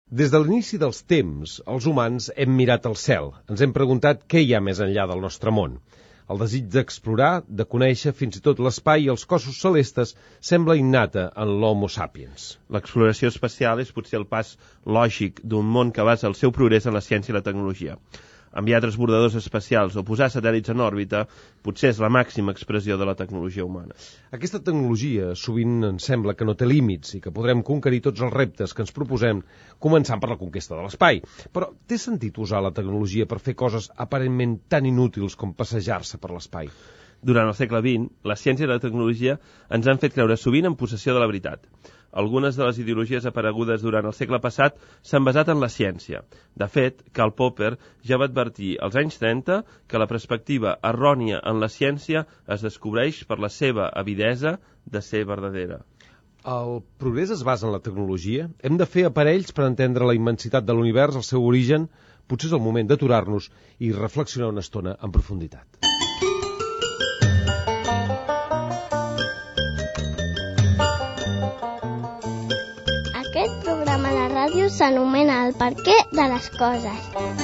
Des de l'inici dels temps, els humans hem mirat al cel, ens hem preguntat què hi ha més enllà del nostre món. El desig d'explorar, de conèixer fins i tot l'espai i els cossos celestes sembla innata en l'Homo sapiens. L'exploració espacial és potser el pas lògic d'un món que basa el seu progrés en la ciència i la tecnologia. Enviar transbordadors espacials o posar satèl·lits en òrbita potser és la màxima expressió de la tecnologia humana. Aquesta tecnologia sovint ens sembla que no té límits i que podrem conquerir tots els reptes que ens proposem, començant per la conquesta de l'espai. Però té sentit usar la tecnologia per fer coses aparentment tan inútils com passejar-se per l'espai? Durant el segle XX, la ciència i la tecnologia ens han fet creure sovint en possessió de la veritat. Algunes de les ideologies aparegudes durant el segle passat s'han basat en la ciència. De fet, Karl Popper ja va advertir als anys 30 que la perspectiva errònia en la ciència es descobreix per la seva avidesa de ser verdadera. El progrés es basa en la tecnologia? Hem de fer aparells per entendre la immensitat de l'univers, el seu origen? Potser és el moment d'aturar-nos i reflexionar una estona en profunditat. Aquest programa de ràdio s'anomena El perquè de les coses.